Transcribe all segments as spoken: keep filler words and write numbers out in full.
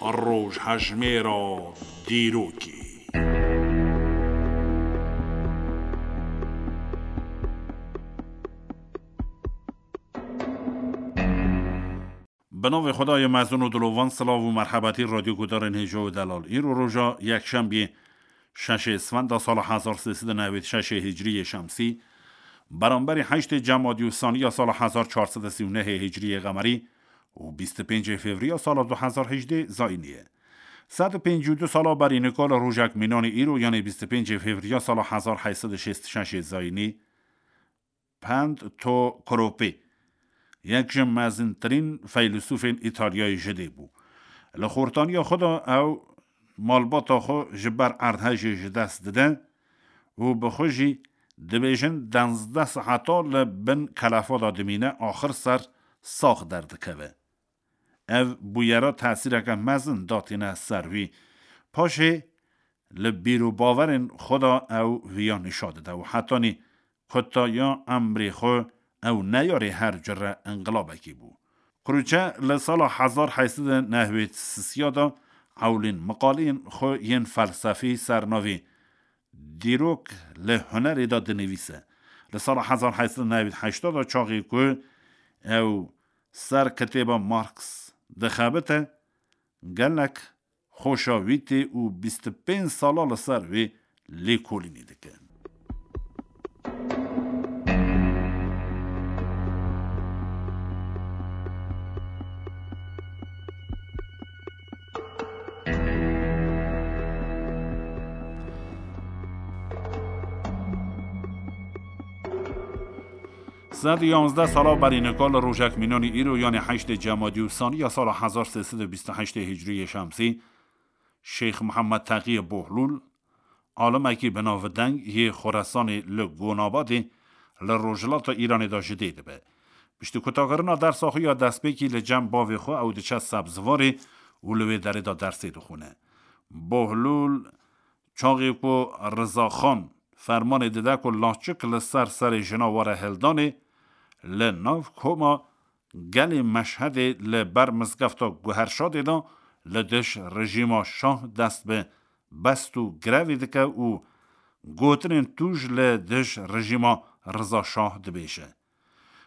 Rojhejmêra dîrokê. Bi navê Xwedayê mezin û dilovan, silav û merhebetî radyo gudarên hêja û delal. Îro roja yekşembiyê, şeşê Isfenda sala hezar sê sed û newêd şeşê hicriyê şemsî, beramberî heştê Cemadî û Saniya sala hezar çar sed û sî û nehê hicriyê qemerî û bîst û pêncê Fevriya sala du hezar hejdê zayînî ye. Sed û pêncî û du sala berî nika li rojek mînanê îro, yanê bîst û pêncê Fevriya sala hezar heyt sed û şêst û şeşê zayînî, Pent Tokropî, yek ji mezintirîn feylesûfên Îtalyayê ji dê bû. Li xortaniya xwe de ew malbata xwe ji ber erdhejê ji dest dide û bi xwe jî dibêjin duwazdeh saeta li bin kelefa de dimîne, axir ser sax derdikeve. Ev bûyera tesîreke mezin datîne ser wî. Paşê li bîr û bawerên xwe de ew viya nîşa dide û hetanî kutaya emrê xwe ew neyarê her cure inqilabekî bû. Krûçe li sala hezar heyt sed û newêd sisiya de ewlîn miqaleyên xwe yên felsefî ser navê Dîrok li Hunerê de dinivîse. Li sala hezar heyt sed û newêd heşta de, çaxê ku ew ser kitêba Marx dixebite, gelek xoşa wî tê û bîst û pênc sala li ser wê lêkolînê dike. Sed û yanzdeh sala berî nika li rojek mînanî îro, yanê heştê Cemadî û Saniya sala hezar sê sed û bîst û heştê hicriyê şemsî, Şêx Mihemed Teqiyê Bohlûl, alimekî bi navdeng yê Xoresanê li Gonabadê li rojhilata Îranê de ji dê dibe. Piştî kutakirina dersa xwe ya destpêkî li cem bavê xwe ew diçe Sebzivarê û li wê derê de dersê dixwîne. Bohlûl, çaxê ku Riza Xan fermanê dide ku laçik li ser serê jina were hildanê, li nav koma gelê Meşhedê li ber mizgefta Guherşadê de li dij rejîma şah dest bi best û grevê dike û gotinên tûj li dij rejîma Riza Şah dibêje.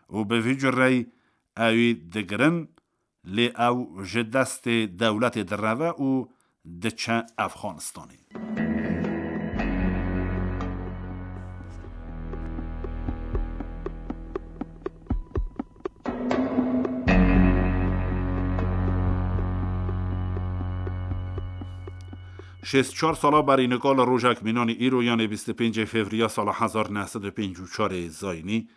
Û bi vî cureyî ewî digirin, lê ew ji destê dewletê direve û diçe Efxanistanê. Şêst çar sala berî nika li rojek mînanî îro, yanê bîst û pêncê Fevriya sala hezar neh sed û pêncî û çarê zayînî,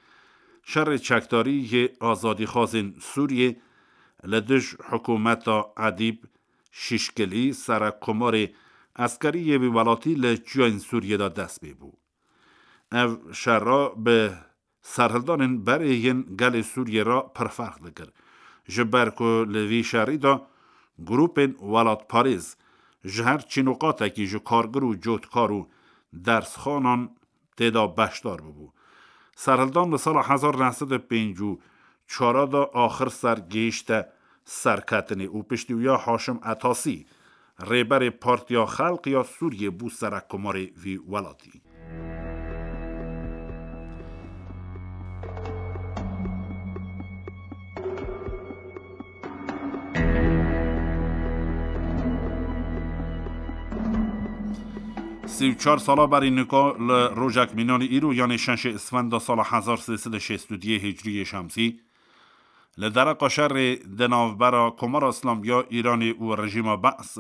şerê çekdarî yê azadîxwazên Sûriyê li dij hikûmeta Edîb Şîşkilî, serekkomarê eskerî yê wî welatî, li çiyayên Sûriyê de dest pê bû. Ev şera bi serhildanên berê yên gelê Sûriyê re pir ferq dikir. Ji ber ku li vî şerî de grûpên welatparêz ji her çînûqatekî, ji kargir û cotkar û dersxanan tê de beşdar bibû. Serhildan li sala hezar neh sed û pêncî û çar de axir ser gihîşte serketinê û piştî wî ya Haşim Etasî, rêberê Partiya Xelq ya Sûriyê, bû serekkomarê vî welatî. Sî û çar sala berî nika li rojek mînanî îro, yanê şeşê Isfenda sala hezar sê sed û şêst û duyê Hicriyê Şemsî, li dereqa şerê di navbera Komara Îslamî ya Îranê û rejîma Be's,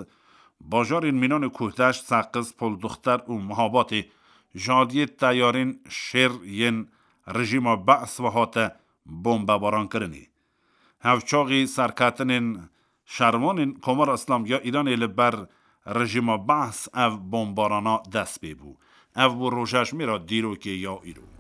bajarên mînanê Kuhdeşt, Seqiz, Polduxter û Mihabatê ji aliyê teyarên şêr yên rejîma Be's ve hate bombebarankirinê. Hevçaxî serketinên şervanên Komara Îslamî ya Îranê li ber rejîma Be's ev bombarana dest pê bû. Ev bû rojhejmêra dîrokê ya îro.